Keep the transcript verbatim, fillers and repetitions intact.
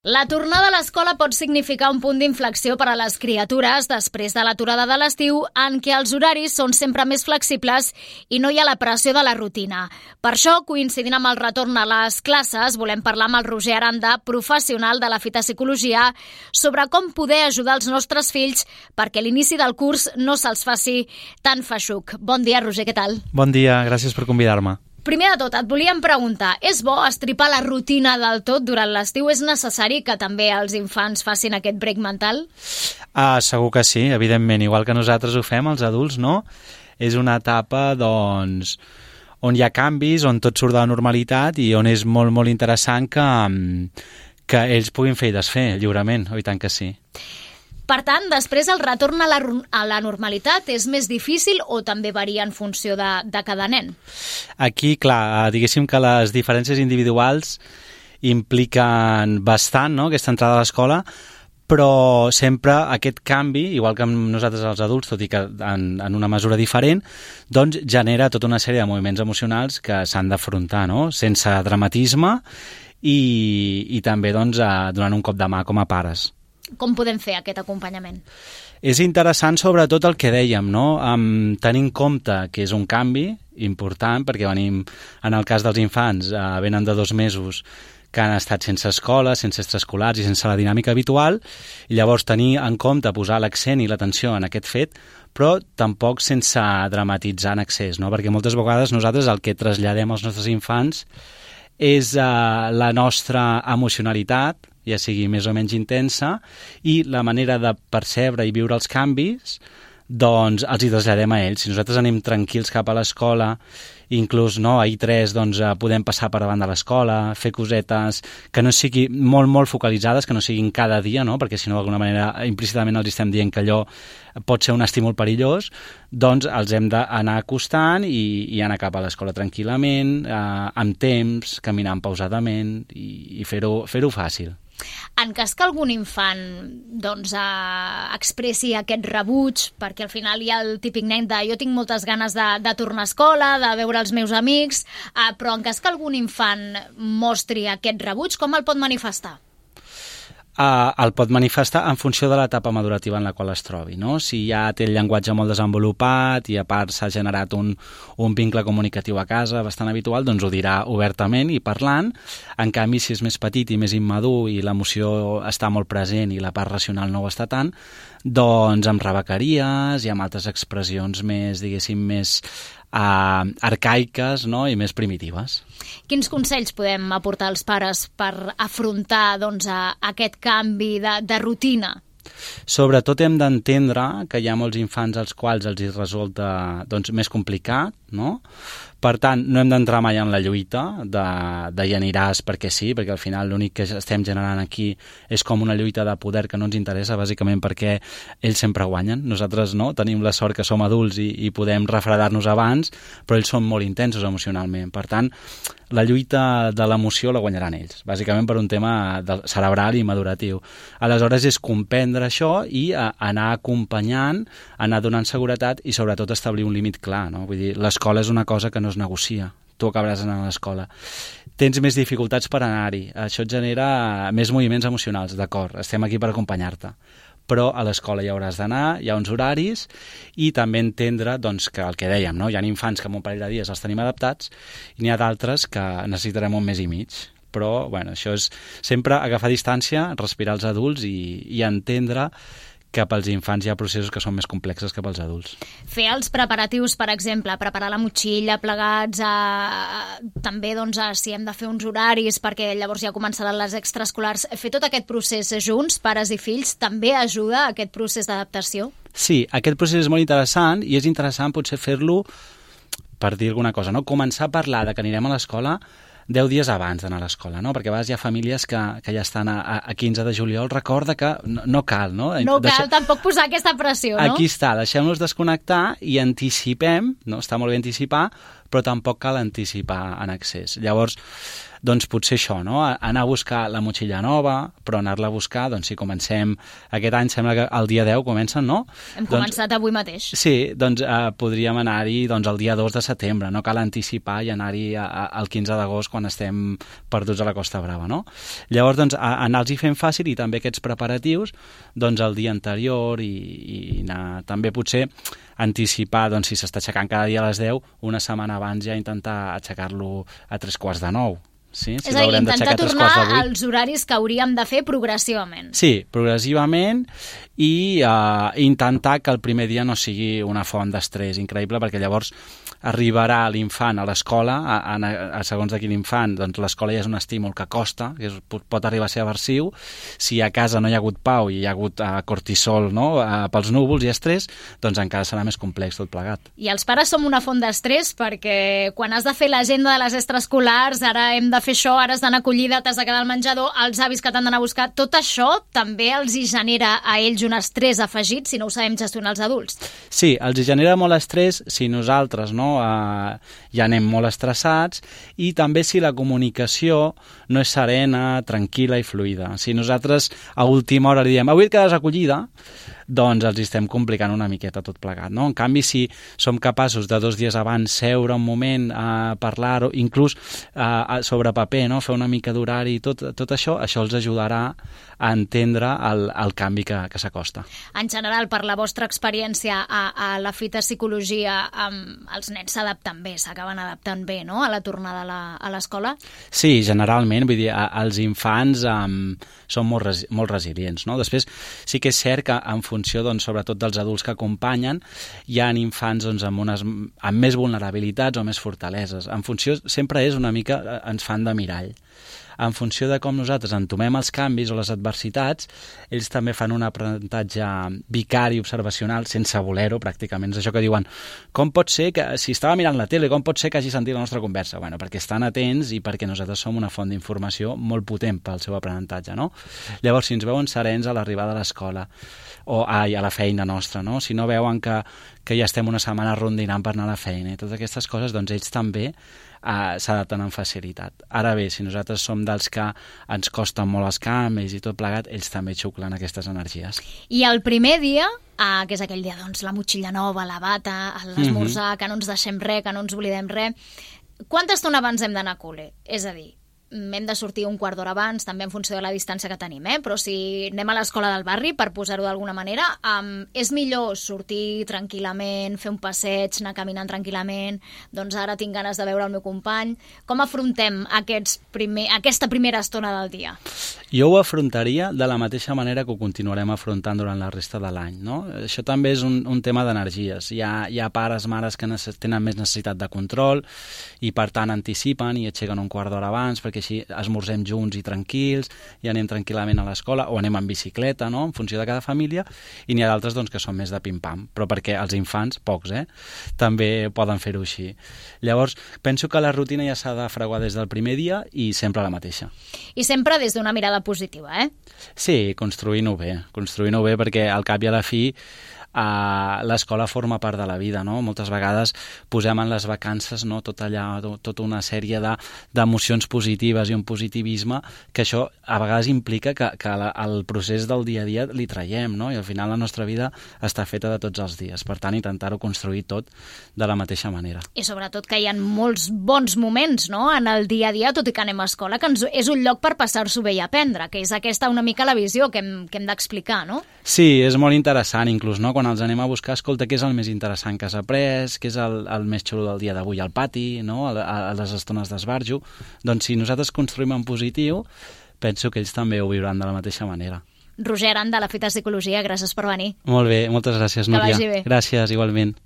La tornada a l'escola pot significar un punt d'inflexió per a les criatures després de l'aturada de l'estiu en què els horaris són sempre més flexibles i no hi ha la pressió de la rutina. Per això, coincidint amb el retorn a les classes, volem parlar amb el Roger Aranda, professional de la fitopsicologia, sobre com poder ajudar els nostres fills perquè l'inici del curs no se'ls faci tan feixuc. Bon dia, Roger, què tal? Bon dia, gràcies per convidar-me. Primer de tot, et volíem preguntar, és bo estripar la rutina del tot durant l'estiu? És necessari que també els infants facin aquest break mental? Ah, segur que sí, evidentment, igual que nosaltres ho fem, els adults, no? És una etapa, doncs, on hi ha canvis, on tot surt de la normalitat i on és molt, molt interessant que, que ells puguin fer i desfer lliurement, oi tant que sí. Per tant, després el retorn a la, a la normalitat és més difícil o també varia en funció de, de cada nen? Aquí, clar, diguéssim que les diferències individuals impliquen bastant, no?, aquesta entrada a l'escola, però sempre aquest canvi, igual que amb nosaltres els adults, tot i que en, en una mesura diferent, doncs genera tota una sèrie de moviments emocionals que s'han d'afrontar, no?, sense dramatisme i, i també doncs, donant un cop de mà com a pares. Com podem fer aquest acompanyament? És interessant sobretot el que dèiem, no? Um, tenint en compte que és un canvi important, perquè venim, en el cas dels infants, uh, venen de dos mesos que han estat sense escola, sense extraescolars i sense la dinàmica habitual, i llavors tenir en compte posar l'accent i l'atenció en aquest fet, però tampoc sense dramatitzar en excés, no? Perquè moltes vegades nosaltres el que traslladem als nostres infants és uh, la nostra emocionalitat, ja sigui més o menys intensa, i la manera de percebre i viure els canvis, doncs els hi traslladem a ells. Si nosaltres anem tranquils cap a l'escola, inclús no, a I tres doncs, podem passar per davant de l'escola, fer cosetes que no siguin molt, molt focalitzades, que no siguin cada dia, no? Perquè si no, d'alguna manera, implícitament els estem dient que allò pot ser un estímul perillós, doncs els hem d'anar acostant i, i anar cap a l'escola tranquil·lament, eh, amb temps, caminant pausadament i, i fer-ho fer-ho fàcil. En cas que algun infant doncs, eh, expressi aquest rebuig, perquè al final hi ha el típic nen de jo tinc moltes ganes de, de tornar a escola, de veure els meus amics, eh, però en cas que algun infant mostri aquest rebuig, com el pot manifestar? Uh, el pot manifestar en funció de l'etapa madurativa en la qual es trobi, no? Si ja té el llenguatge molt desenvolupat i a part s'ha generat un, un vincle comunicatiu a casa bastant habitual, doncs ho dirà obertament i parlant. En canvi, si és més petit i més immadur i l'emoció està molt present i la part racional no ho està tant, doncs amb rebequeries i amb altres expressions més, diguéssim, més Uh, arcaiques, no?, i més primitives. Quins consells podem aportar als pares per afrontar doncs, a, aquest canvi de, de rutina? Sobretot hem d'entendre que hi ha molts infants als quals els hi resulta doncs, més complicat, no? Per tant, no hem d'entrar mai en la lluita de, de hi aniràs perquè sí, perquè al final l'únic que estem generant aquí és com una lluita de poder que no ens interessa, bàsicament perquè ells sempre guanyen. Nosaltres no, tenim la sort que som adults i, i podem refredar-nos abans, però ells són molt intensos emocionalment. Per tant, la lluita de l'emoció la guanyaran ells, bàsicament per un tema cerebral i maduratiu. Aleshores és comprendre això i a, anar acompanyant, anar donant seguretat i sobretot establir un límit clar, no? Vull dir, l'escola és una cosa que no es negocia. Tu acabaràs anant a l'escola. Tens més dificultats per anar-hi. Això et genera més moviments emocionals, d'acord, estem aquí per acompanyar-te. Però a l'escola hi hauràs d'anar, hi ha uns horaris i també entendre doncs, que el que dèiem, no? Hi ha infants que en un parell de dies els tenim adaptats i n'hi ha d'altres que necessitarem un mes i mig. Però bueno, això és sempre agafar distància, respirar els adults i, i entendre que pels infants hi ha processos que són més complexes que pels adults. Fer els preparatius, per exemple, preparar la motxilla, plegats, a... també doncs, a... si hem de fer uns horaris perquè llavors ja començaran les extraescolars, fer tot aquest procés junts, pares i fills, també ajuda a aquest procés d'adaptació? Sí, aquest procés és molt interessant i és interessant potser fer-lo, per dir alguna cosa, no? Començar a parlar de que anirem a l'escola deu dies abans d'anar a l'escola, no? Perquè a vegades hi ha famílies que, que ja estan a, a quinze de juliol, recorda que no, no cal, no? No cal Deixa... tampoc posar aquesta pressió, no? Aquí està, deixem-nos desconnectar i anticipem, no? Està molt bé anticipar, però tampoc cal anticipar en excés. Llavors, doncs potser això, no? Anar a buscar la motxilla nova, però anar-la a buscar, doncs si comencem aquest any, sembla que el dia deu comencen, no? Hem doncs, començat avui mateix. Sí, doncs eh, podríem anar-hi doncs, el dia dos de setembre, no cal anticipar i anar-hi al quinze d'agost quan estem perduts a la Costa Brava, no? Llavors, doncs, anar-los-hi fent fàcil i també aquests preparatius, doncs, el dia anterior i, i anar també potser anticipar, doncs, si s'està aixecant cada dia a les deu, una setmana abans ja intentar aixecar-lo a tres quarts de nou. Sí? Si és a dir, intentar tornar als horaris que hauríem de fer progressivament. Sí, progressivament i uh, intentar que el primer dia no sigui una font d'estrès increïble, perquè llavors arribarà l'infant a l'escola, a, a, a segons de quin infant, doncs l'escola ja és un estímul que costa, que és, pot arribar a ser aversiu. Si a casa no hi ha hagut pau i hi ha hagut uh, cortisol, no? uh, pels núvols i estrès, doncs encara serà més complex tot plegat. I els pares som una font d'estrès perquè quan has de fer l'agenda de les extraescolars, ara hem de fer això, ara has d'anar a acollida, t'has de quedar al menjador, els avis que t'han d'anar a buscar, tot això també els hi genera a ells un estrès afegit si no ho sabem gestionar els adults. Sí, els hi genera molt estrès si nosaltres no, uh, ja anem molt estressats i també si la comunicació no és serena, tranquil·la i fluida. Si nosaltres a última hora li diem avui et quedes acollida, doncs els estem complicant una miqueta tot plegat, no? En canvi, si som capaços de dos dies abans seure un moment a parlar, o inclús a, a, sobre paper, no? Fer una mica d'horari i tot, tot això, això els ajudarà a entendre el, el canvi que, que s'acosta. En general, per la vostra experiència a, a la fita psicologia, um, els nens s'adapten bé, s'acaben adaptant bé, no?, a la tornada a la, a l'escola? Sí, generalment, vull dir, a, els infants um, són molt, res, molt resilients, no? Després, sí que és cert que en funció, doncs, sobretot dels adults que acompanyen, hi ha infants doncs, amb, unes, amb més vulnerabilitats o més fortaleses. En funció, sempre és una mica, ens fan de mirall. En funció de com nosaltres entomem els canvis o les adversitats, ells també fan un aprenentatge vicari, observacional, sense voler-ho, pràcticament. És això que diuen, com pot ser que, si estava mirant la tele, com pot ser que hagi sentit la nostra conversa? Bueno, perquè estan atents i perquè nosaltres som una font d'informació molt potent pel seu aprenentatge, no? Llavors, si ens veuen serens a l'arribada a l'escola o ai, a la feina nostra, no? Si no veuen que, que ja estem una setmana rondinant per anar a la feina i totes aquestes coses, doncs ells també Uh, s'adapten amb facilitat. Ara bé, si nosaltres som dels que ens costen molt els canvis i tot plegat, ells també xuclen aquestes energies. I el primer dia, uh, que és aquell dia, doncs, la motxilla nova, la bata, l'esmorzar, mm-hmm. que no ens deixem res, que no ens oblidem res, quanta estona abans hem d'anar a col·le? És a dir, hem de sortir un quart d'hora abans, també en funció de la distància que tenim, eh? Però si anem a l'escola del barri, per posar-ho d'alguna manera, um, és millor sortir tranquil·lament, fer un passeig, anar caminant tranquil·lament, doncs ara tinc ganes de veure el meu company. Com afrontem aquests primer, aquesta primera estona del dia? Jo ho afrontaria de la mateixa manera que ho continuarem afrontant durant la resta de l'any, no? Això també és un, un tema d'energies. Hi ha, hi ha pares, mares que tenen més necessitat de control i per tant anticipen i aixequen un quart d'hora abans perquè així esmorzem junts i tranquils i anem tranquil·lament a l'escola o anem en bicicleta, no?, en funció de cada família, i n'hi ha d'altres doncs, que són més de pim-pam, però perquè els infants, pocs, eh, també poden fer-ho així. Llavors, penso que la rutina ja s'ha de fraguar des del primer dia i sempre la mateixa. I sempre des d'una mirada positiva, eh? Sí, construint-ho bé, construint-ho bé perquè al cap i a la fi Uh, l'escola forma part de la vida, no? Moltes vegades posem en les vacances, no, tot allà, tot, tota una sèrie de, d'emocions positives i un positivisme que això a vegades implica que, que la, el procés del dia a dia li traiem, no? I al final la nostra vida està feta de tots els dies, per tant intentar-ho construir tot de la mateixa manera. I sobretot que hi ha molts bons moments, no?, en el dia a dia, tot i que anem a escola, que ens, és un lloc per passar-s'ho bé i aprendre, que és aquesta una mica la visió que hem, que hem d'explicar, no? Sí, és molt interessant inclús, no?, quan els anem a buscar, escolta, què és el més interessant que has après, què és el, el més xulo del dia d'avui al pati, no?, a, a les estones d'esbarjo. Doncs si nosaltres construïm en positiu, penso que ells també ho viuran de la mateixa manera. Roger Aranda, de la Fita Psicologia, gràcies per venir. Molt bé, moltes gràcies, Núria. Que vagi bé. Gràcies, igualment.